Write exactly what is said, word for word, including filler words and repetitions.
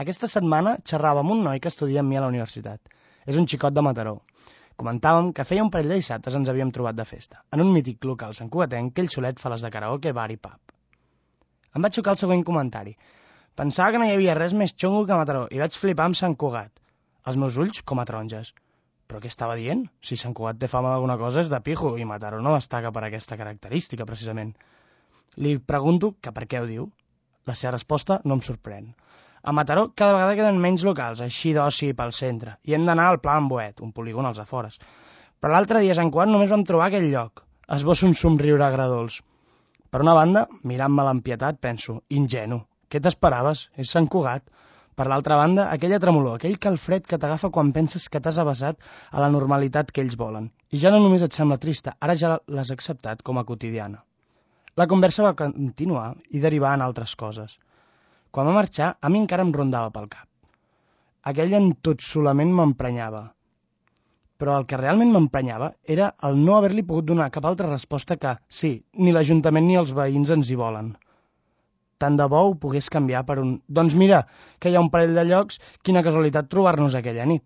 Aquesta setmana xerrava amb un noi que estudia amb mi a la universitat. És un xicot de Mataró. Comentàvem que feia un parell de dissabtes ens havíem trobat de festa, en un mític local santcugatenc que ell solet fa les de karaoke, bar i pub. Em va xocar el següent comentari. Pensava que no hi havia res més xungo que Mataró i vaig flipar amb Sant Cugat. Els meus ulls com a taronges. Però què estava dient? Si Sant Cugat té fama d'alguna cosa és de pijo i Mataró no destaca per aquesta característica, precisament. Li pregunto que per què ho diu. La seva resposta no em sorprèn. A Mataró cada vegada queden menys locals, així d'oci pel centre, i hem d'anar al Pla Amboet, un polígon als afores. Però l'altre dia a Sant Cugat només vam trobar aquell lloc. Esbosso un somriure agradolç. Per una banda, mirant-me l'empietat, penso, ingenu, què t'esperaves? És Sant Cugat. Per l'altra banda, aquella tremolor, aquell calfred que t'agafa quan penses que t'has avasat a la normalitat que ells volen. I ja no només et sembla trista, ara ja l'has acceptat com a quotidiana. La conversa va continuar i derivar en altres coses. Quan va marxar, a mi encara em rondava pel cap. Aquell entotsolament m'emprenyava. Però el que realment m'emprenyava era el no haver-li pogut donar cap altra resposta que, sí, ni l'Ajuntament ni els veïns ens hi volen. Tant de bo ho pogués canviar per un... Doncs mira, que hi ha un parell de llocs, quina casualitat trobar-nos aquella nit.